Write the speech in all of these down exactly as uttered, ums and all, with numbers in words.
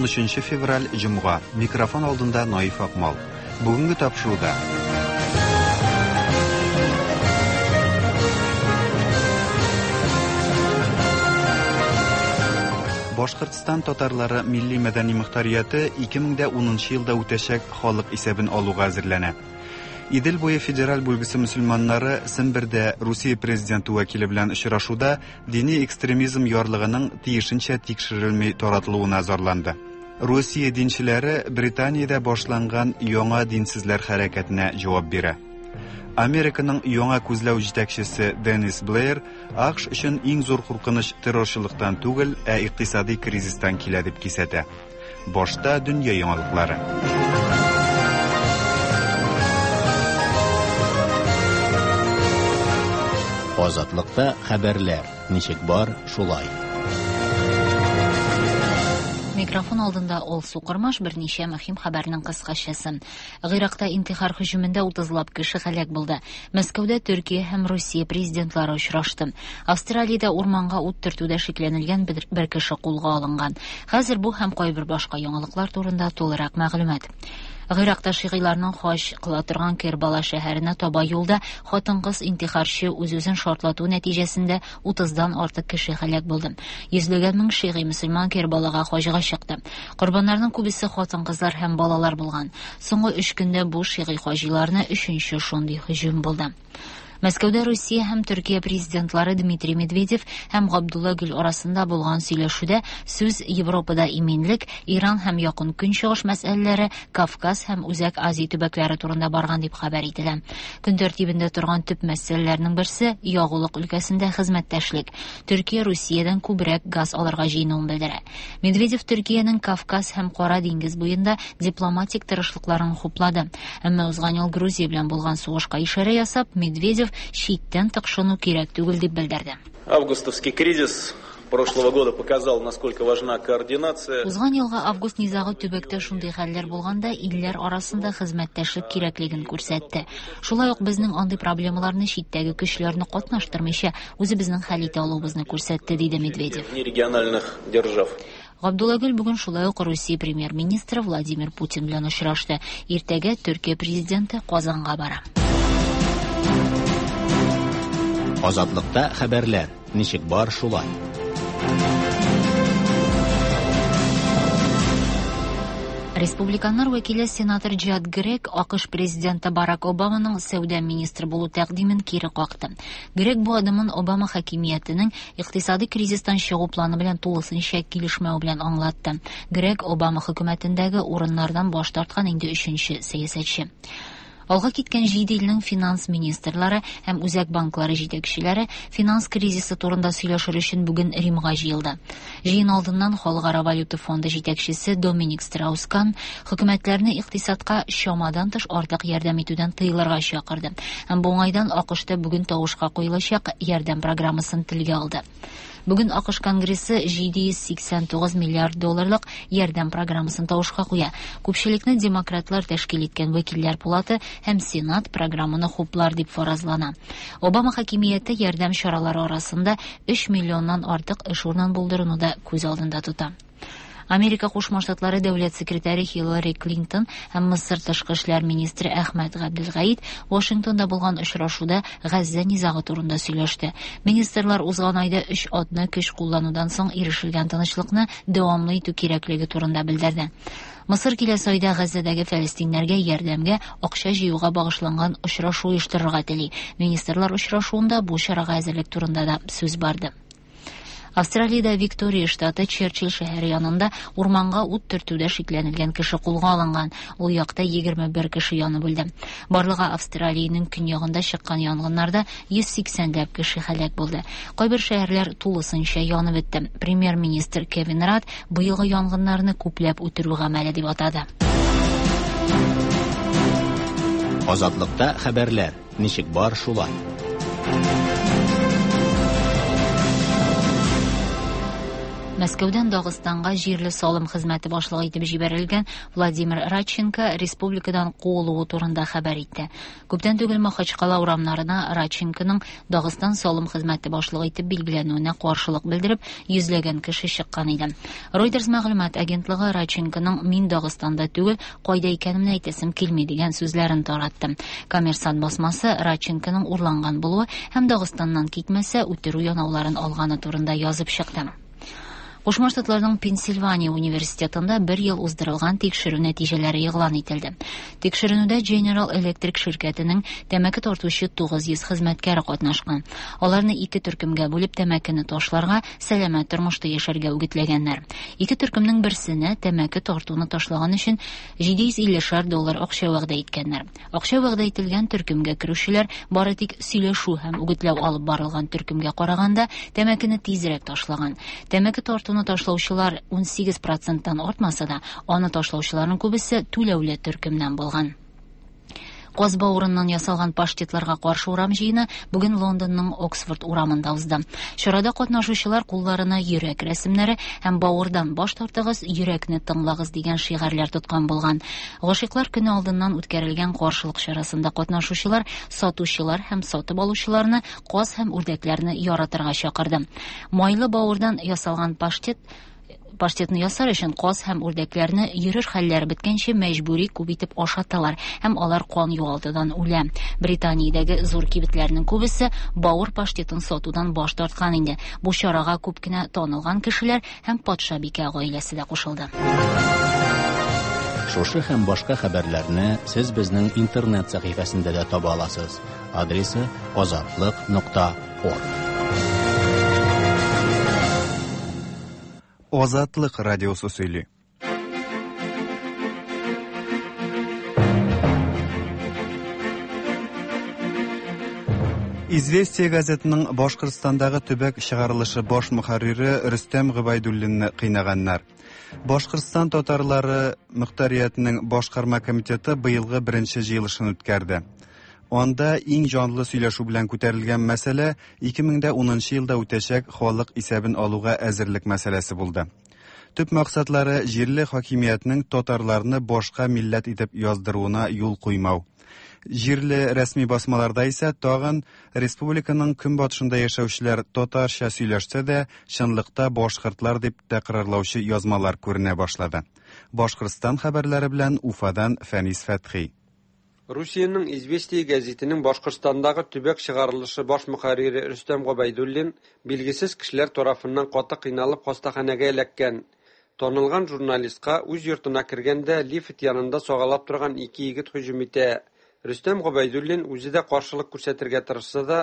Унөченче февраль, җомга. Микрофон алдында Наиф Акмал. Бүгенге тапшыруда Башкортстан татарлары милли мәдәни мөхтәрияте ике мең дә унынчы елда үтәчәк халык исәбен алуга әзерләнә. Идел буе федераль бүлгесе мөселманнары Сембердә Русия президенты вәкиле белән очрашуда дини экстремизм ярлыгының тиешенчә тикшерелми таратылуына зарланды. Русия динчеләре Британиядә башланган яңа динсезләр хәрәкәтенә җавап бирә. Американың яңа күзләү җитәкчесе Деннис Блэйр АКШ өчен иң зур куркыныч террорчылыктан түгел, ә икътисади кризистан килә дип кисәтә. Башта дөнья яңалыклары. Азатлыкта хәбәрләр ничек бар, шулай. Микрофон алдында Алсу Кормаш, берничә мөһим хәбәрнең кыскачасы. Гыйракта интихар һөҗүмендә утызлап кеше һәлак булды. Мәскәүдә Төркия һәм Русия президентлары очрашты. Австралиядә урманга ут төртүдә шикләнелгән бер, бер кеше кулга алынган. Хәзер бу һәм кайбер башка яңалыклар турында тулырак мәгълүмат. Гыйракта шигыйларның хаҗ кыла торган Кербала шәһәренә таба юлда хатын-кыз интихарчы үз-үзен шартлату нәтиҗәсендә утыздан артык кеше һәлак булды. Йөзләгән мең шигый мөселман Кербалага хаҗга чыкты. Корбаннарның күбесе хатын-кызлар һәм балалар булган. Соңгы өч көндә бу шигый хаҗиларны өченче шундый һөҗүм булды. Мәскәүдә Русия һәм Төркия президентлары Дмитрий Медведев һәм Габдулла Гүл арасында булган сөйләшүдә сүз Европада иминлек, Иран һәм Якын Көнчыгыш мәсьәләләре, Кавказ һәм Үзәк Азия төбәкләре турында барган дип хәбәр ителә. Көн тәртибендә торган төп мәсьәләләрнең берсе ягулык өлкәсендә хезмәттәшлек. Төркия Русиядән күбрәк газ алырга җыенуын белдерә. Медведев Төркиянең Кавказ һәм Кара диңгез буенда дипломатик тырышлыкларын хуплады. Әмма узган ел Грузия белән булган сугышка ишарә ясап, Медведев читтән тыкшыну кирәк түгел дип белдерде. Августовский кризис прошлого года показал, насколько важна координация. Узган елгы август низагы төбәктә шундый хәлләр булганда илләр арасында хезмәттәшлек кирәклеген күрсәтте. Шулай ук безнең андый проблемаларны читтәге көчләрне катнаштырмыйча үзебезнең хәл итә алуыбызны күрсәтте, диде Медведев. Региональных держав. Габдулла Гүл бүген шулай ук Русия премьер-министры Владимир Путин белән очрашты. Иртәгә Төркия президенты Казанга бара. Азатлыкта хәбәрләр ничек бар, шулай. Республиканнар вәкиле сенатор Джад Грег АКШ президенты Барак Обаманың сәүдә министры булу тәкъдимен кире какты. Грег бу адымын Обама хакимиятенең икътисади кризистан чыгу планы белән тулысынча килешмәү белән аңлатты. Грег Обама хөкүмәтендәге урыннардан баш тарткан инде өченче сәясәтче. Алга киткән җиде илнең финанс министрлары һәм үзәк банклары җитәкчеләре финанс кризисы турында сөйләшер өчен бүген Римга җыелды. Җыен алдыннан Халыкара валюта фонды җитәкчесе Доминик Страус-Кан хөкүмәтләрне икътисадка чамадан тыш артык ярдәм итүдән тыелырга чакырды. Һәм бу уңайдан АКШта бүген тавышка куелачак ярдәм программасын телгә алды. Бүген АКШ Конгрессы җиде йөз сиксән тугыз миллиард долларлык ярдәм программасын тавышка куя. Күпчелекне демократлар тәшкил иткән вәкилләр палаты һәм Сенат программаны хуплар дип фаразлана. Обама хакимияте ярдәм чаралары арасында өч миллионнан артык эш урынын булдыруны да күз алдында тота. Америка Кушма Штатлары дәүләт секретаре Хиллари Клинтон һәм Мысыр тышкы эшләр министры Әхмәт Габделгаид Вашингтонда булган очрашуда Газзә низагы турында сөйләште. Министрлар узган айда өч атна көч кулланудан соң ирешелгән тынычлыкны дәвамлы итү кирәклеге турында белдерде. Мысыр киләсе айда Газзәдәге фәлестиннәргә ярдәмгә акча җыюга багышланган очрашу оештырырга тели. Министрлар очрашуында бу чарага әзерлек турында да сүз барды. Австралиядә Виктория штаты Черчилль шәһәре янында урманга ут төртүдә шикләнелгән кеше кулга алынган. Ул якта егерме бер кеше янып үлде. Барлыгы Австралиянең көньягында чыккан янгыннарда йөз сиксәнләп кеше һәлак булды. Кайбер шәһәрләр тулысынча янып бетте. Премьер-министр Кевин Радд быелгы янгыннарны күпләп үтерү гамәле дип атады. Азатлыкта хәбәрләр ничек бар, шулай. Мәскәүдән Дагыстанга җирле салым хезмәте башлыгы итеп җибәрелгән Владимир Радченко республикадан куылуы турында хәбәр итте. Күптән түгел Махачкала урамнарына Радченконың Дагыстан салым хезмәте башлыгы итеп билгеләнүенә каршылык белдереп, йөзләгән кеше чыккан иде. Reuters мәгълүмат агентлыгы Радченконың «Мин Дагыстанда түгел, кайда икәнемне әйтәсем килми» дигән сүзләрен таратты. Коммерсант басмасы Радченконың урланган булуы һәм Дагыстаннан китмәсә үтерү янауларын алганы турында язып чыкты. Кушма Штатларның Пенсильвания университетында бер ел уздырылган тикшерү нәтиҗәләре игълан ителде. Тикшеренүдә General Electric ширкәтенең тәмәке тартучы тугыз йөз хезмәткәре катнашкан. Аларны ике төркемгә бүлеп тәмәкене ташларга, сәламәт тормышта яшәргә үгетләгәннәр. Ике төркемнең берсенә тәмәке тартуны ташлаган өчен җиде йөз иллешәр доллар акча вәгъдә иткәннәр. Акча вәгъдә ителгән төркемгә керүчеләр бары тик сөйләшү һәм үгетләү алып барылган төркемгә караганда тәмәкене тизрәк ташлаган. Тәмәке тартуны ташлаучылар ун сигез проценттан артмаса да, аны ташлаучыларның күбесе түләүле төркемнән булган. Каз бавырыннан ясалган паштетларга каршы урам җыены бүген Лондонның Оксфорд урамында узды. Чарада катнашучылар кулларына йөрәк рәсемнәре һәм бавырдан баш тартыгыз, йөрәкне тыңлагыз дигән шигарьләр тоткан булган. Гашыйклар көне алдыннан үткәрелгән каршылык чарасында катнашучылар сатучылар һәм сатып алучыларны каз һәм үрдәкләрне яратырга чакырды. Майлы бавырдан ясалган паштет Паштетны ясар өчен каз һәм үрдәкләрне йөрер хәлләре беткәнче мәҗбүри күп итеп ашаталар һәм алар кан югалтудан үлә. Британиядәге зур кибетләрнең күбесе бавыр паштетын сатудан баш тарткан инде. Бу чарага күп кенә танылган кешеләр һәм патшабикә гаиләсе дә кушылды. Шушы һәм башка хәбәрләрне сез безнең интернет сәхифәсендә дә таба аласыз. Адресы азатлык нокта орг. Азатлык радиосы сөйли. Известия газетының Башкортстандагы төбәк чыгарылышы баш мөхәррире Рөстәм Гобәйдуллинны кыйнаганнар. Башкортстан татарлары мөхтәриятенең башкарма комитеты быелгы беренче җыелышын үткәрде. Анда иң җанлы сөйләшү белән күтәрелгән мәсьәлә ике мең дә унынчы елда үтәчәк халык исәбен алуга әзерлек мәсьәләсе булды. Төп максатлары җирле хакимиятнең татарларны башка милләт итеп яздыруына юл куймау. Җирле рәсми басмаларда исә тагын республиканың көнбатышында яшәүчеләр татарча сөйләшсә дә, чынлыкта башкортлар дип тәкрарлаучы язмалар күренә башлады. Башкортстан хәбәрләре белән Уфадан Фәнис Фәтхи. Русиянең Известия гәзитенең Башкортстандагы төбәк чыгарылышы баш мөхәррире Рөстәм Гобәйдуллин билгесез кешеләр тарафыннан каты кыйналып хастаханәгә эләккән. Танылган журналистка үз йортына кергәндә лифт янында сагалап торган ике егет һөҗүм итә. Рөстәм Гобәйдуллин үзе дә каршылык күрсәтергә тырышса да,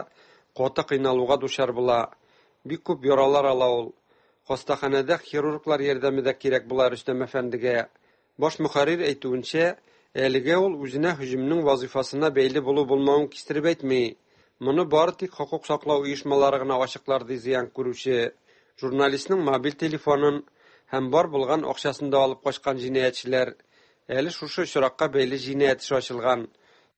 каты кыйналуга дучар була. Бик күп яралар ала ул. Хастаханәдә хирурглар ярдәме дә кирәк була Рөстәм әфәндегә. Баш мөхәррир әйтүенчә, әлегә ул үзенә һөҗүмнең вазифасына бәйле булу булмавын кистереп әйтми. Моны бары тик хокук саклау оешмалары гына ачыклар ди зыян күрүче. Журналистның мобиль телефонын һәм бар булган акчасын да алып качкан җинаятьчеләр. Әле шушы очракка бәйле җинаять эше ачылган.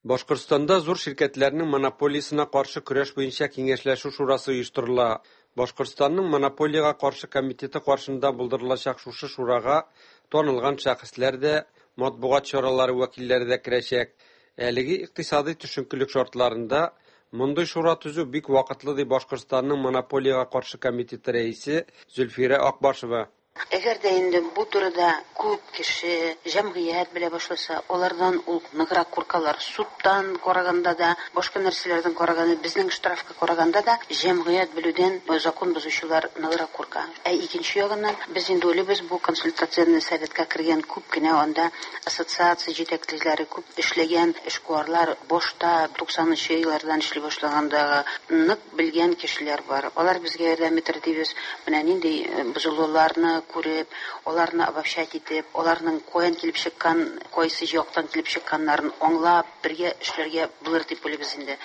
Башкортстанда зур ширкәтләрнең монополиясенә каршы көрәш буенча киңәшләшү шурасы оештырыла. Башкортстанның монополиягә каршы комитеты каршында булдырылачак шушы шурага танылган шәхесләр дә, матбугат чаралары вәкилләре дә керәчәк. Әлеге икътисади төшенкелек шартларында мондый шура төзү бик вакытлы ди Башкортстанның монополиягә каршы комитеты рәисе Зөлфирә Акбашева. Әгәр дә инде бу турыда күп кеше, җәмгыять белә башласа, алардан ул ныграк куркалар. Судтан караганда да, башка нәрсәләрдән караганда, безнең штрафка караганда да, җәмгыять белүдән закон бозучылар ныграк курка. Ә икенче ягыннан без инде уйлыйбыз, бу консультативный советка кергән күп кенә анда ассоциация җитәкчеләре, күп эшләгән эшкуарлар, башта туксанынчы еллардан эшли башлагандагы нык белгән кешеләр бар. Алар безгә ярдәм итер дибез. Менә нинди бозылуларны күреп, аларны обобщать итеп, аларның каян килеп чыккан, кайсы яктан килеп чыкканнарын аңлап, бергә эшләргә булыр дип уйлыйбыз инде.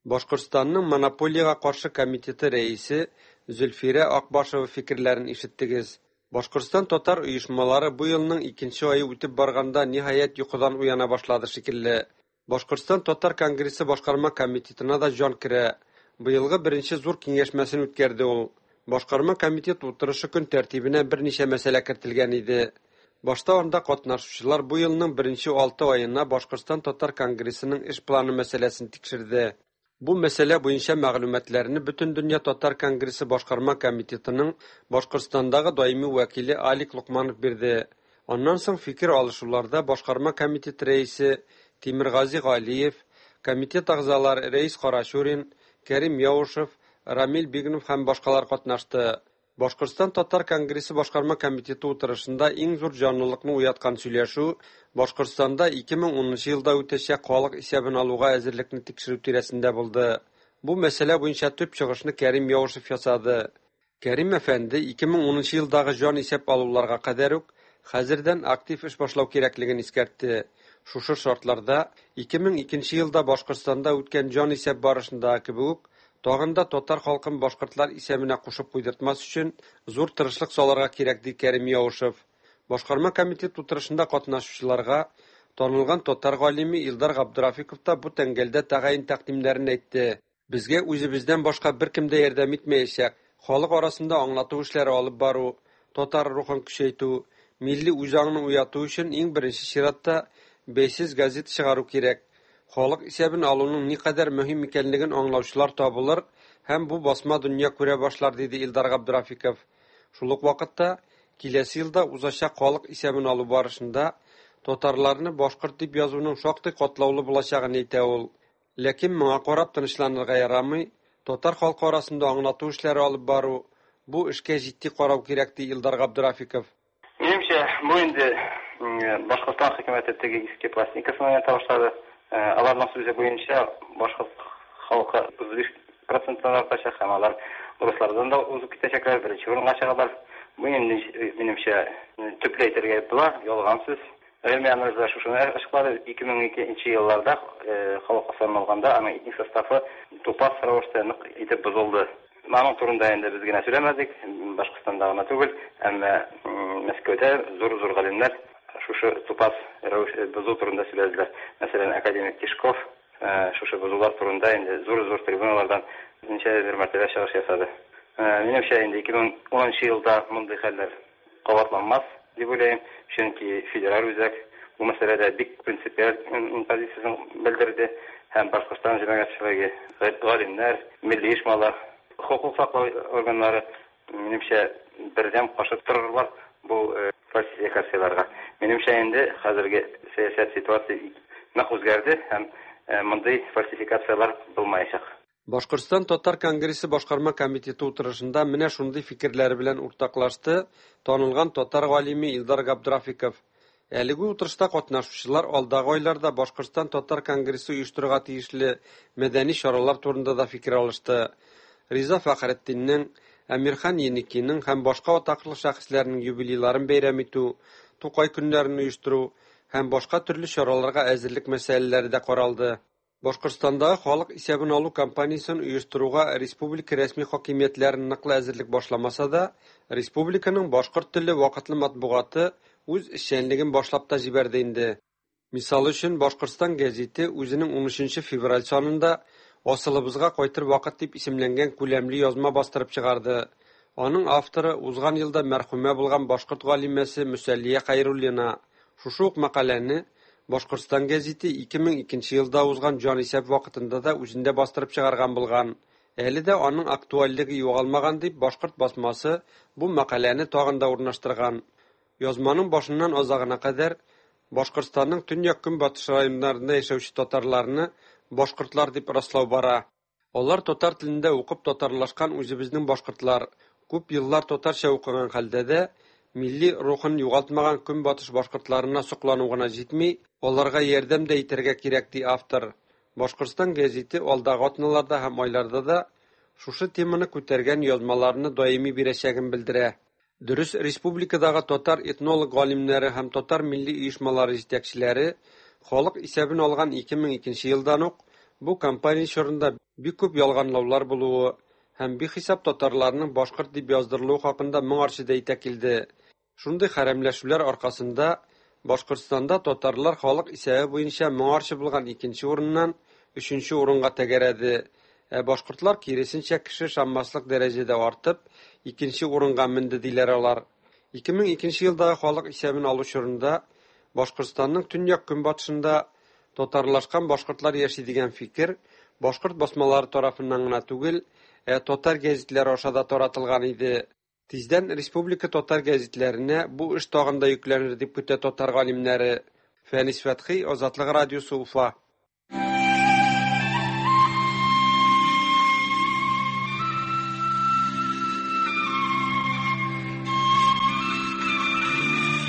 Башкортстанның монополиягә каршы комитеты рәисе Зөлфирә Акбашева фикерләрен ишеттегез. Башкортстан татар оешмалары бу елның икенче ае үтеп барганда ниһаять йокыдан уяна башлады шикелле. Башкортстан татар конгрессы башкарма комитетына да җан керә. Быелгы беренче зур киңәшмәсен үткәрде ул. Башкарма комитет утырышы көн тәртибенә берничә мәсьәлә кертелгән иде. Башта анда катнашучылар бу елның беренче алты аена Башкортстан татар конгрессының эш планы мәсьәләсен тикшерде. Бу мәсьәлә буенча мәгълүматларны Бөтендөнья татар конгрессы башкарма комитетының Башкортстандагы даими вәкиле Алик Локманов бирде. Аннан соң фикер алышуларда башкарма комитет рәисе Тимергази Галиев, комитет әгъзалары Рәис Карачурин, Кәрим Яушев, Рамил Бигнов һәм башкалар катнашты. Башкортстан татар конгрессы башкарма комитеты утырышында иң зур җанлылыкны уяткан сөйләшү Башкортстанда ике мең унынчы елда үтәчәк халык исәбен алуга әзерлекне тикшерү тирәсендә булды. Бу мәсьәлә буенча төп чыгышны Кәрим Яушев ясады. Кәрим әфәнде ике мең унынчы елдагы җан исәп алуларга кадәр үк хәзердән актив эш башлау кирәклеген искәртте. Шушы шартларда ике мең икенче елда Башкортстанда үткән җан исәп барышындагы кебек үк тагын да татар халкын башкортлар исәбенә кушып куйдыртмас өчен зур тырышлык салырга кирәк, ди Кәрим Яушев. Башкарма комитет утырышында катнашучыларга танылган татар галиме Илдар Габдрафиков та бу тәңгәлдә тәгаен тәкъдимнәрен әйтте. Безгә үзебездән башка беркем дә ярдәм итмәячәк. Халык арасында аңлату эшләре алып бару, татар рухын көчәйтү, милли үзаңны уяту өчен иң беренче чиратта бәйсез газета чыгару кирәк. Халык исәбен алуның никадәр мөһим икәнлеген аңлаучылар табылыр һәм бу басма дөнья күрә башлар, диде Илдар Габдрафиков. Шул ук вакытта киләсе елда узачак халык исәбен алу барышында татарларны башкорт дип язуның шактый катлаулы булачагын әйтә ул. Ләкин моңа карап тынычланырга ярамый, татар халкы арасында аңлату эшләре алып бару, бу эшкә җитди карау кирәк, ди Илдар Габдрафиков. Минемчә, бу инде Башкортстан хөкүмәте теге иске пластинкасын уйната башлады. Аларның сүзе буенча башкорт халкы утыз биш проценттан артачак һәм алар урыслардан да узып китәчәкләр, беренче урынга чыгалар. Бу инде минемчә төпле әйтергә була, ялган сүз. Гыйльми анализлар шушыны ачыклады. Ике мең икенче елларда халык санын алганда аның этник составы тупас рәвештә нык итеп бозылды. Аның турында инде без генә сөйләмәдек, Башкортстанда гына түгел, әмма Мәскәүдә зур-зур галимнәр шушы тупас рәвеш бозу турында сөйләделәр. Мәсәлән, академик Тишков шушы бозулар турында инде зур-зур трибуналардан ничә бер мәртәбә чыгыш ясады. Минемчә, инде ике мең унынчы елда мондый хәлләр кабатланмас дип уйлыйм, чөнки федераль үзәк бу мәсьәләдә бик принципиаль позициясен белдерде һәм Башкортстан җәмәгатьчелеге, галимнәр, милли оешмалар, хокук саклау органнары минемчә бердәм каршы торырлар бу фальсификацияләргә. Минемчә, инде хәзерге сәясәт ситуация нык үзгәрде һәм мондый фальсификацияләр булмаячак. Башкортстан татар конгрессы башкарма комитеты утырышында менә шундый фикерләре белән уртаклашты танылган татар галиме Илдар Габдрафиков. Әлеге утырышта катнашучылар алдагы айларда Башкортстан татар конгрессы оештырырга тиешле мәдәни чаралар турында да фикер алышты. Риза Фәхретдиннең, Әмирхан Еникинең һәм башка атаклы шәхесләрнең юбилейларын бәйрәм итү, Тукай көннәрен оештыру һәм башка төрле чараларга әзерлек мәсьәләләре дә каралды. Башкортстандагы халык исәбен алу кампаниясен оештыруга республика рәсми хакимиятләре ныклы әзерлек башламаса да, республиканың башкорт телле вакытлы матбугаты үз эшчәнлеген башлап та җибәрде инде. Мисал өчен, Башкортстан гәзите үзенең унөченче февраль санында Асылыбызга кайтыр вакыт дип исемләнгән күләмле язма бастырып чыгарды. Аның авторы узган елда мәрхүмә булган башкорт галимәсе Мөсәллия Хәйруллина. Шушы ук мәкаләне Башкортстан гәзите ике мең икенче елда узган җанисәп вакытында да үзендә бастырып чыгарган булган. Әле дә аның актуальлеге югалмаган дип башкорт басмасы бу мәкаләне тагын да урнаштырган. Язманың башыннан азагына кадәр Башкортстанның төньяк-көнбатыш районнарында яшәүче татарларны башкортлар дип раслау бара. Алар татар телендә укып татарлашкан үзебезнең башкортлар, күп еллар татарча укыган хәлдә дә милли рухын югалтмаган көнбатыш башкортларына соклану гына җитми, аларга ярдәм дә итәргә кирәк, ди автор. Башкортстан гәзите алдагы атналарда һәм айларда да шушы теманы күтәргән язмаларны даими бирәчәген белдерә. Дөрес, республикадагы татар этнолог галимнәре һәм татар милли оешмалары җитәкчеләре халык исәбен алган ике мең икенче елдан ук бу кампания чорында бик күп ялганлаулар булуы һәм бихисап татарларның башкорт дип яздырылуы хакында моңарчы да әйтә килде. Шундый хәрәмләшүләр аркасында Башкортстанда татарлар халык исәбе буенча моңарчы булган икенче урыннан өченче урынга тәгәрәде. Ә башкортлар киресенчә кеше ышанмаслык дәрәҗәдә артып, икенче урынга менде диләр алар. ике мең икенче елдагы халык исәбен алу чорында Башкортстанның төньяк-көнбатышында татарлашкан башкортлар яши дигән фикер башкорт басмалары тарафыннан гына түгел, ә татар гәзитләре аша да таратылган иде. Тиздән республика татар гәзитләренә бу эш тагын да йөкләнер дип көтә татар галимнәре. Фәнис Фәтхи, Азатлык радиосы, Уфа.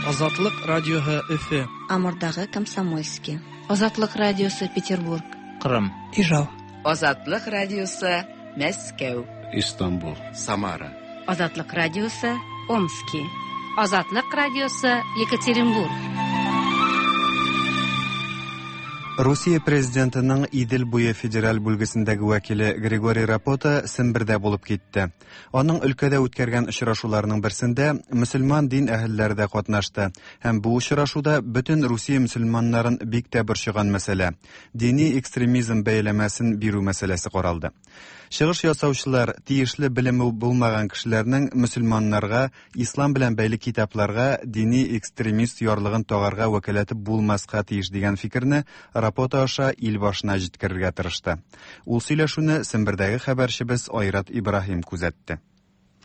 Азатлык радиоһы Өфө. Амурдагы Комсомольский. Азатлык радиосы Петербург. Кырым. Ижау. Азатлык радиосы Мәскәү. Истанбул. Самара. Азатлык радиосы Омски. Азатлык радиосы Екатеринбург. Русия президентының Идел буе федераль бүлгесендәге вәкиле Григорий Рапота Сембердә булып китте. Аның өлкәдә үткәргән очрашуларының берсендә мөселман дин әһелләре дә катнашты. Һәм бу очрашуда бөтен Русия мөселманнарын бик тә борчыган мәсьәлә дини экстремизм бәяләмәсен бирү мәсьәләсе каралды. Чыгыш ясаучылар тиешле белеме булмаган кешеләрнең мөселманнарга ислам белән бәйле китапларга дини экстремист ярлыгын тагарга вәкаләте булмаска тиеш дигән фикерне Рапота аша ил башына җиткерергә тырышты. Ул сөйләшүне Сембердәге хәбәрчебез Айрат Ибраһим күзәтте.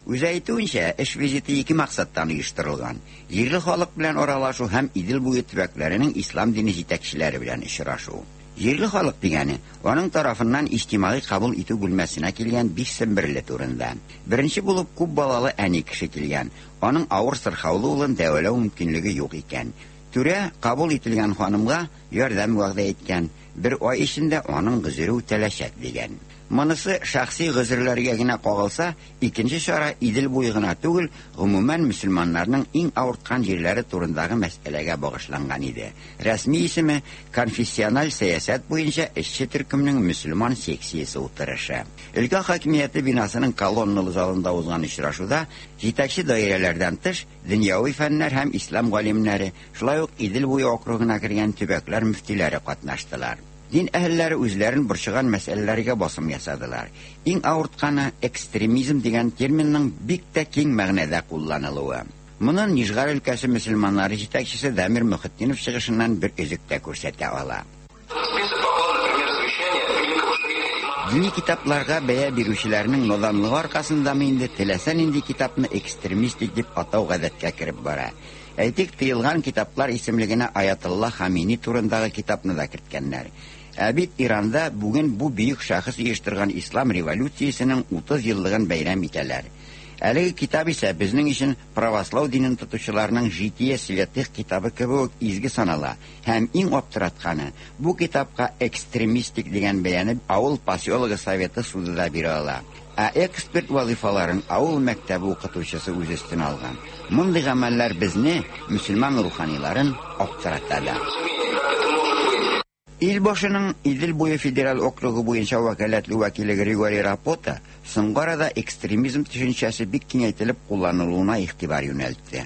Үзе әйтүенчә, эш визиты ике максаттан оештырылган: җирле халык белән аралашу һәм Идел буе төбәкләренең ислам дине җитәкчеләре белән очрашу. Җирле халык дигәне аның тарафыннан иҗтимагый кабул итү бүлмәсенә килгән биш семберле турында. Беренче булып күп балалы әни кеше килгән. Аның авыр сырхаулы улын дәвалау мөмкинлеге юк икән. Түрә кабул ителгән ханымга ярдәм вәгъдә иткән. Бер ай эчендә аның гозере үтәләчәк дигән. Монысы шәхси гозерләргә генә кагылса, икенче чара Идел буе гына түгел, гомумән мөселманнарның иң авырткан җирләре турындагы мәсьәләгә багышланган иде. Рәсми исеме конфессиональ сәясәт буенча эшче төркемнең мөселман секциясе утырышы. Өлкә хакимияте бинасының колонналы залында узган очрашуда җитәкче даирәләрдән тыш дөньяви фәннәр һәм ислам галимнәре, шулай ук Идел буе округына кергән төбәкләр мөфтиләре катнаштылар. Дин әһелләре үзләрен борчыган мәсьәләләргә басым ясадылар. Иң авыртканы экстремизм дигән терминның бик тә киң мәгънәдә кулланылуы. Моны Нижгар өлкәсе мөселманнары җитәкчесе Дамир Мөхетдинов чыгышыннан бер өзек тә күрсәтә ала. Дини китапларга бәя бирүчеләрнең наданлыгы аркасындамы инде теләсә нинди китапны экстремистик дип атау гадәткә кереп бара. Әйтик, тыелган китаплар исемлегенә Аятулла Хамини турындагы китапны да керткәннәр. Ә бит Иранда бүген бу бөек шәхес оештырган ислам революциясенең утыз еллыгын бәйрәм итәләр. Әлеге китап исә безнең өчен православ динен тотучыларның Житие святых китабы кебек изге санала. Һәм иң аптыратканы, бу китапка экстремистик дигән бәяне авыл поселогы советы суды да бирә ала. Ә эксперт вазифаларын авыл мәктәбе укытучысы үз өстенә алган. Мондый гамәлләр безне, мөселман руханиларын, аптырата да. Ил башының Идел буе федераль округы буенча вәкаләтле вәкиле Григорий Рапота соңгы арада экстремизм төшенчәсе бик киңәйтелеп кулланылуына игътибар юнәлтте.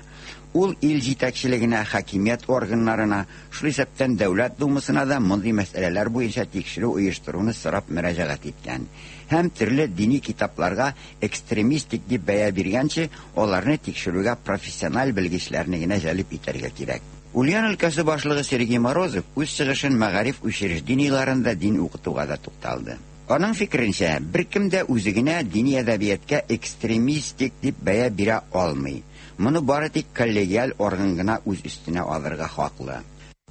Ул ил җитәкчелегенә, хакимият органнарына, шул исәптән Дәүләт Думасына да мондый мәсьәләләр буенча тикшерү оештыруны сорап мөрәҗәгать иткән. Һәм төрле дини китапларга экстремистик дип бәя биргәнче, аларны тикшерүгә профессиональ белгечләрне генә җәлеп итәргә кирәк. Ульян өлкәсе башлыгы Сергей Морозов үз чыгышын мәгариф учреждениеләрендә дин укытуга да тукталды. Аның фикеренчә, беркем дә үзе генә дини әдәбиятка экстремистик дип бәя бирә алмый. Моны бары тик коллегиаль орган гына үз өстенә алырга хаклы.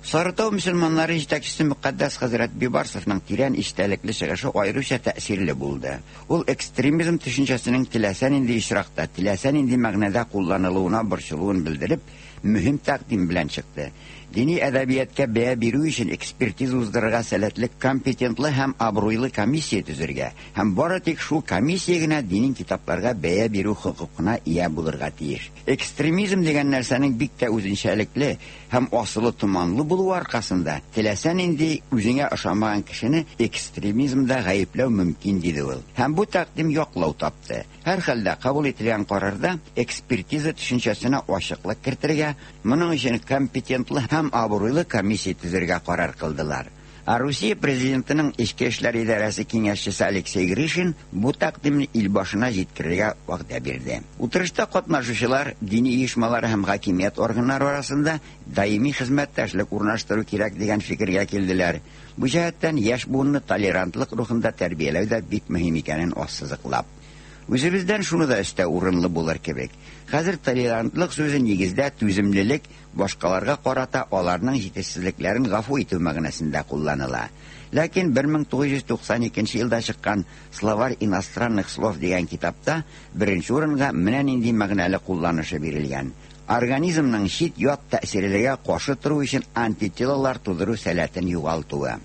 Сарытау мөселманнары җитәкчесе Мөкаддәс хәзрәт Бибарсовның тирән истәлекле чыгышы аеруча тәэсирле булды. Ул экстремизм төшенчәсенең теләсә нинди очракта, теләсә нинди мәгънәдә кулланылуына борчылуын белдереп, мөһим тәкъдим белән чыкты. Дини әдәбиятка бәя бирү өчен экспертиза уздырырга сәләтле, компетентлы һәм абруйлы комиссия төзергә һәм бары тик шул комиссия генә дини китапларга бәя бирү хокукына ия булырга тиеш. Экстремизм дигән нәрсәнең бик тә үзенчәлекле һәм асылы томанлы булуы аркасында теләсә нинди үзеңә ошамаган кешене экстремизмда гаепләү мөмкин, диде ул. Һәм бу тәкъдим яклау тапты. Һәр хәлдә кабул ителгән карарда экспертиза төшенчәсенә ачыклык кертергә, моның өчен компетентлы һәм абруйлы комиссия төзергә карар кылдылар. Ә Русия президентының эчке эшләр идарәсе киңәшчесе Алексей Гришин бу тәкъдимне ил башына җиткерергә вәгъдә бирде. Утырышта катнашучылар дини оешмалар һәм хакимият органнары арасында даими хезмәттәшлек урнаштыру кирәк дигән фикергә килделәр. Бу җәһәттән яшь буынны толерантлык рухында тәрбияләү дә бик мөһим икәнен ассызыклап. Үзебездән шуны да өстәү урынлы булыр кебек. Хәзер толерантлык сүзе нигездә түземлелек, башкаларга карата аларның җитешсезлекләрен гафу итү мәгънәсендә кулланыла. Ләкин бер мең тугыз йөз туксан икенче елда чыккан Словарь иностранных слов дигән китапта беренче урынга менә нинди мәгънәле кулланышы бирелгән. Организмның чит ят тәэсирләргә каршы тору өчен антителалар тудыру сәләтен югалтуы.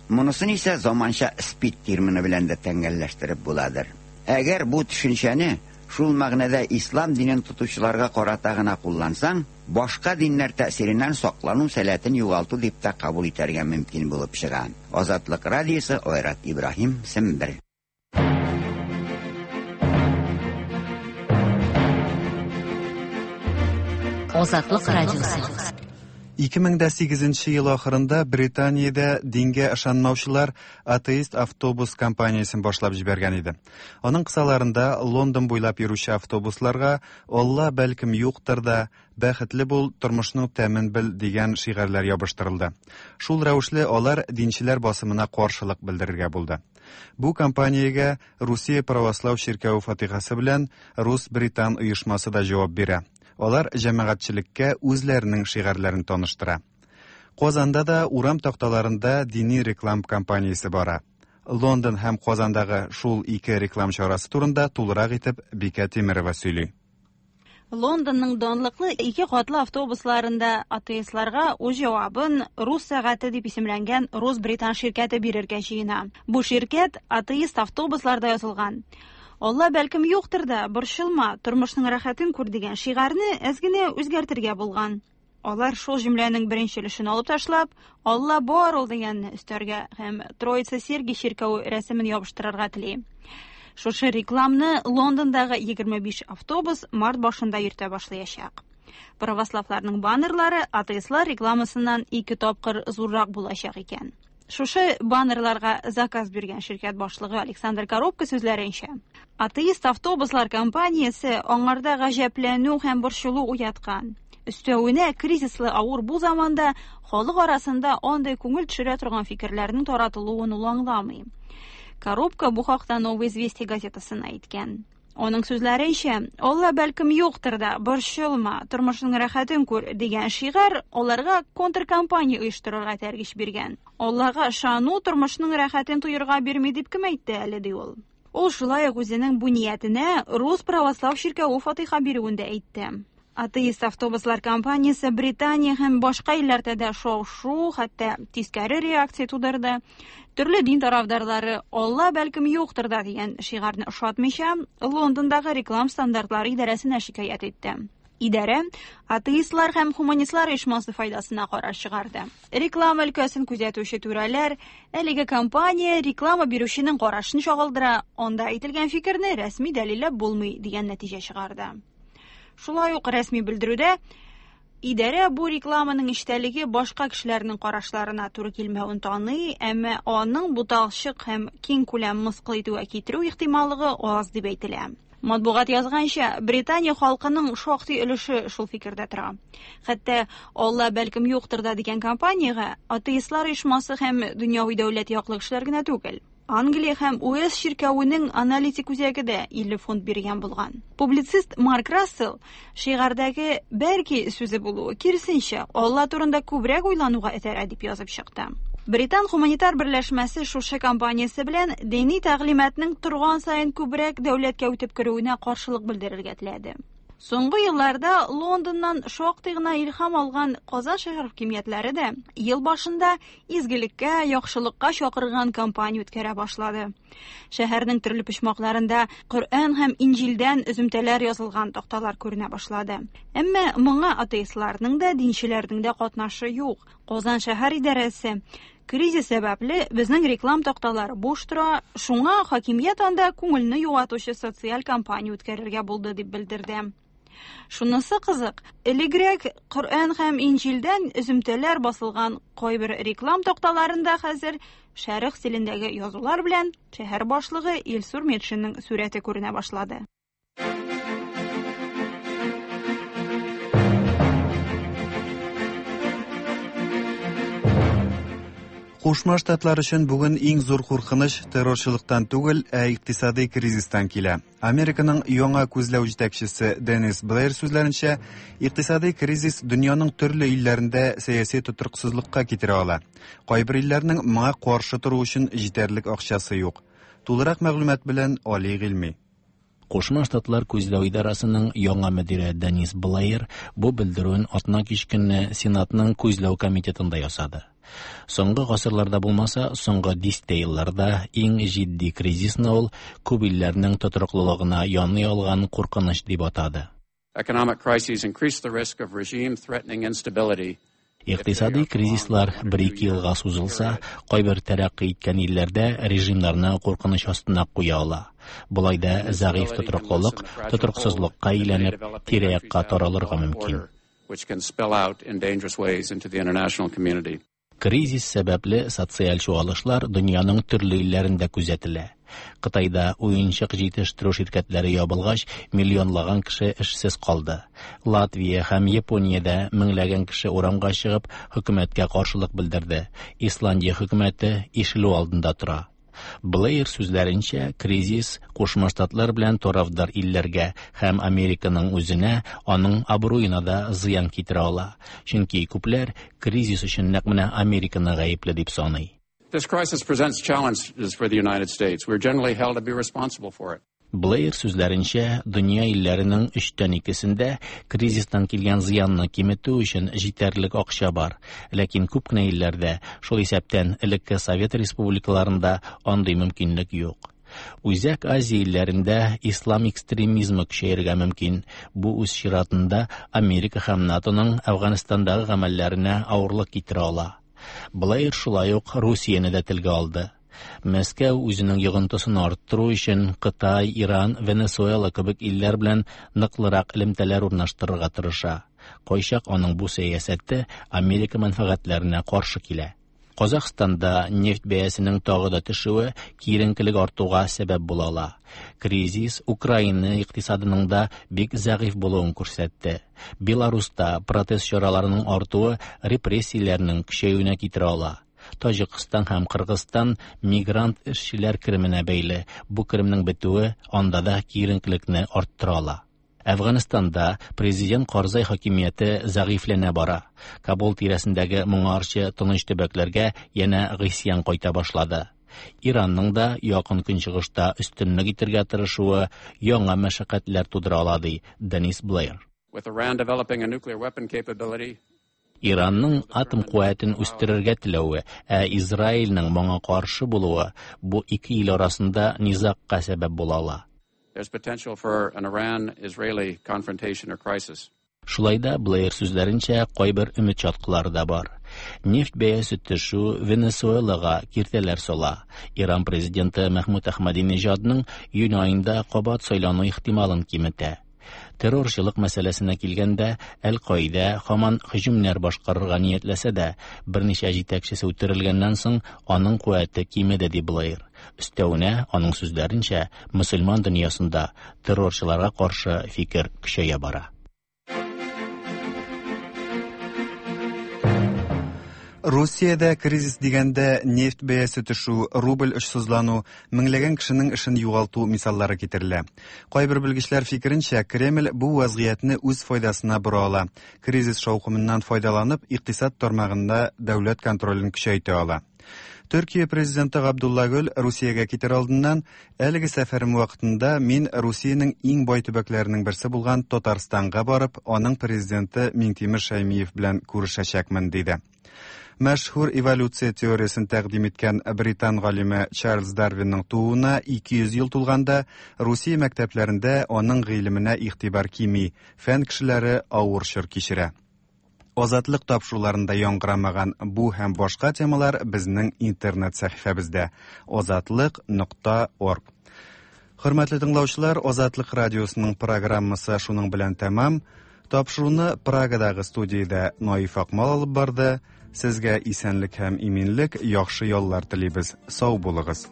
Монысын исә заманча СПИД термины белән дә тәңгәлләштереп буладыр. Әгәр бу төшенчәне шул мәгънәдә ислам динен тотучыларга карата гына куллансаң, башка диннәр тәэсиреннән саклану сәләтен югалту дип тә кабул итәргә мөмкин булып чыга. Азатлык радиосы, Айрат Ибраһим, Сембер. Азатлык радиосы. ике мең дә сигезенче ел ахырында Британиядә дингә ышанмаучылар атеист автобус компаниясен башлап җибәргән иде. Аның кысаларында Лондон буйлап йөрүче автобусларга «Алла бәлкем юктыр да, бәхетле бул, тормышның тәмен бел» дигән шигарьләр ябыштырылды. Шул рәвешле алар динчеләр басымына каршылык белдерергә булды. Бу компаниягә Русия православ чиркәве фатихасы белән Рус-Британ оешмасы да җавап бирә. Алар җәмәгатьчелеккә үзләренең шигарьләрен таныштыра. Казанда да урам такталарында дини реклам кампаниясе бара. Лондон һәм Казандагы шул ике реклам чарасы турында тулырак итеп Бикә Тимерова сөйли. Лондонның данлыклы ике катлы автобусларында атеистларга үз җавабын Рус сәгате дип исемләнгән Рус-Британ ширкәте бирергә җыена. Бу ширкәт атеист автобусларда язылган. Алла бәлкем юктыр да, борчылма, тормышның рәхәтен күр дигән шигарьне әз генә үзгәртергә булган. Алар шул җөмләнең беренче өлешен алып ташлап, Алла бар ул дигәнне өстәргә һәм Троица Сергий чиркәве рәсемен ябыштырырга тели. Шушы рекламны Лондондагы егерме биш автобус март башында йөртә башлаячак. Православларның баннерлары атеистлар рекламасыннан ике тапкыр зуррак булачак икән. Шушы баннерларга заказ биргән ширкәт башлыгы Александр Коробка сүзләренчә, атеист автобуслар компаниясе аңарда гаҗәпләнү һәм борчылу уяткан. Өстәвенә кризислы авыр бу заманда халык арасында андый күңел төшерә торган фикерләрнең таратылуын ул аңламый. Коробка бу хакта Новые известия газетасына әйткән. Аның сүзләренчә, Алла бәлкем юктыр да, борчылма, тормышның рәхәтен күр дигән шигарь аларга контркампания оештырырга этәргеч биргән. Аллага ышану тормышның рәхәтен тоерга бирми дип кем әйтте әле, ди ул. Ул шулай ук үзенең бу ниятенә Рус православ чиркәве фатиха бирүен дә әйтте. Атеист автобуслар компаниясе Британия һәм башка илләрдә дә шау-шу, хәтта тискәре реакция тудырды. Төрле дин тарафдарлары Алла бәлкем юктыр да дигән шигарьне ошатмыйча, Лондондагы реклам стандартлары идарәсенә шикаять итте. Идарә атеистлар һәм хуманистлар оешмасы файдасына карар чыгарды. Реклама өлкәсен күзәтүче түрәләр әлеге компания реклама бирүченең карашын чагылдыра, анда әйтелгән фикерне рәсми дәлилләп булмый дигән нәтиҗә чыгарды. Шулай ук рәсми белдерүдә идарә бу рекламаның эчтәлеге башка кешеләрнең карашларына туры килмәвен таный, әмма аның буталчык һәм киң күләм мыскыл итүгә китерү ихтималлыгы аз дип әйтелә. Матбугат язганча, Британия халкының шактый өлеше шул фикердә тора. Хәтта Алла бәлкем юктыр да дигән компаниягә атеистлар оешмасы һәм дөньяви дәүләт яклы кешеләр генә түгел. Англия һәм Уэльс чиркәвенең аналитик үзәге дә илле фунт биргән булган. Публицист Марк Рассел шигарьдәге бәлки сүзе булуы киресенчә Алла турында күбрәк уйлануга этәрә дип язып чыкты. Британ гуманитар берләшмәсе шушы компаниясе белән дини тәгълиматның торган саен күбрәк дәүләткә үтеп керүенә каршылык белдерергә теләде. Соңгы елларда Лондоннан шактый гына илһам алган Казан шәһәр хакимиятләре дә ел башында изгелеккә, яхшылыкка чакырган кампания үткәрә башлады. Шәһәрнең төрле почмакларында Коръән һәм Инҗилдән өземтәләр язылган такталар күренә башлады. Әмма моңа атеистларның да, динчеләрнең дә катнашы юк. Казан шәһәр идарәсе кризис сәбәпле безнең реклам такталары буш тора, шуңа хакимият анда күңелне юатучы социаль кампания үткәрергә булды дип белдерде. Шунысы кызык, элегрәк Коръән һәм Инҗилдән өземтәләр басылган кайбер реклам такталарында хәзер шәрык стилендәге язулар белән шәһәр башлыгы Илсур Метшинның сурәте күренә башлады. Кушма Штатлар өчен бүген иң зур куркыныч террорчылыктан түгел, ә икътисади кризистан килә. Американың яңа күзләү җитәкчесе Денис Блэйр сүзләренчә, икътисади кризис дөньяның төрле илләрендә сәяси тотрыксызлыкка китерә ала. Кайбер илләрнең моңа каршы тору өчен җитәрлек акчасы юк. Тулырак мәгълүмат белән Али Гыйльми. Кушма Штатлар күзләү идарасының яңа мөдире Денис Блэйр бу белдерүен атна кич көнне Сенатның күзләү комитетында ясады. Соңгы гасырларда булмаса, соңгы дистә елларда иң җитди кризисны ул күп илләрнең тотрыклылыгына яный алган куркыныч дип атады. Economic crises increase the risk of regime-threatening instability. Икътисади кризислар бер-ике елга сузылса, кайбер тәрәккый иткән илләрдә режимнарны куркыныч астына куя ала. Болай да зәгыйфь тотрыклылык тотрыксызлыкка әйләнеп, тирә-якка таралырга мөмкин. Which can spill out in dangerous ways into the international community. Кризис сәбәпле социаль чуалышлар дөньяның төрле илләрендә күзәтелә. Кытайда уенчык җитештерү ширкәтләре ябылгач, миллионлаган кеше эшсез калды. Латвия һәм Япониядә меңләгән кеше урамга чыгып, хөкүмәткә каршылык белдерде. Исландия хөкүмәте ишелү алдында тора. Блэйр сүзләренчә, кризис Кушма Штатлар белән тарафдар илләргә һәм Американың үзенә, аның абруена да зыян китерә ала. Чөнки күпләр кризис өчен нәкъ менә Американы гаепле дип саный. This crisis presents challenges for the United States. We're generally held to be responsible for it. Блэйр сүзләренчә, дөнья илләренең өчтән икесендә кризистан килгән зыянны киметү өчен җитәрлек акча бар. Ләкин күп кенә илләрдә, шул исәптән элекке Совет республикаларында андый мөмкинлек юк. Үзәк Азия илләрендә ислам экстремизмы көчәергә мөмкин. Бу үз чиратында Америка һәм НАТОның Әфганстандагы гамәлләренә авырлык китерә ала. Блэйр шулай ук Русияне дә телгә алды. Мәскәү үзенең йогынтысын арттыру өчен Кытай, Иран, Венесуэла кебек илләр белән ныклырак элемтәләр урнаштырырга тырыша. Кайчак аның бу сәясәте Америка мәнфәгатьләренә каршы килә. Казахстанда нефть бәясенең тагы да төшүе киеренкелек артуга сәбәп була ала. Кризис Украина икътисадының да бик зәгыйфь булуын күрсәтте. Беларуста протест чараларының артуы репрессияләрнең көчәюенә китерә ала. Таҗикстан һәм Кыргызстан мигрант эшчеләр кеременә бәйле. Бу керемнең бетүе анда да киеренкелекне арттыра ала. Әфганстанда президент Карзай хакимияте зәгыйфьләнә бара. Кабул тирәсендәге моңарчы тыныч төбәкләргә янә гыйсьян кайта башлады. Иранның да якын көнчыгышта өстенлек итәргә тырышуы яңа мәшәкатьләр тудыра ала, ди Денис Блэйр. With Iran developing a nuclear weapon capability, Иранның атом куәтен үстерергә теләве, ә Израильнең моңа каршы булуы бу ике ил арасында низагка сәбәп була ала. There's potential for an Iran-Israeli confrontation or crisis. Шулай да Блэйр сүзләренчә, кайбер өмет чаткылары да бар. Нефть бәясе төшү Венесуэлага киртәләр сала. Иран президенты Мәхмүд Әхмәдинежадның июнь аенда кабат сайлану ихтималын киметә. Террорчылык мәсьәләсенә килгәндә, Әл-Каида һаман һөҗүмнәр башкарырга ниятләсә дә, берничә җитәкчесе үтерелгәннән соң аның куәте кимеде, ди Блэйр. Өстәвенә, аның сүзләренчә, мөселман дөньясында террорчыларга каршы фикер көчәя бара. Русиядә кризис дигәндә нефть бәясе төшү, рубль очсызлану, меңләгән кешенең эшен югалту мисаллары китерелә. Кайбер белгечләр фикеренчә, Кремль бу вазгыятьне үз файдасына бора ала. Кризис шаукымыннан файдаланып, икътисад тармагында дәүләт контролен көчәйтә ала. Төркия президенты Габдулла Гөл Русиягә китер алдыннан әлеге сәфәрем вакытында мин Русиянең иң бай төбәкләренең берсе булган Татарстанга барып, аның президенты Миңтимер Шәймиев белән күрешәчәкмен, диде. Мәшһүр эволюция теориясен тәкъдим иткән британ галиме Чарльз Дарвинның тууына ике йөз ел тулганда Русия мәктәпләрендә аның гыйлеменә игътибар кими, фән кешеләре авыр чор кичерә. Азатлык тапшыруларында яңгырамаган бу һәм башка темалар безнең интернет сәхифәбездә азатлык нокта орг. Хөрмәтле тыңлаучылар, Азатлык радиосының программасы шуның белән тәмам. Тапшыруны Прагадагы студиядә Наиф Акмал алып барды. Сезгә исәнлек һәм иминлек, яхшы яллар телибез. Сау булыгыз.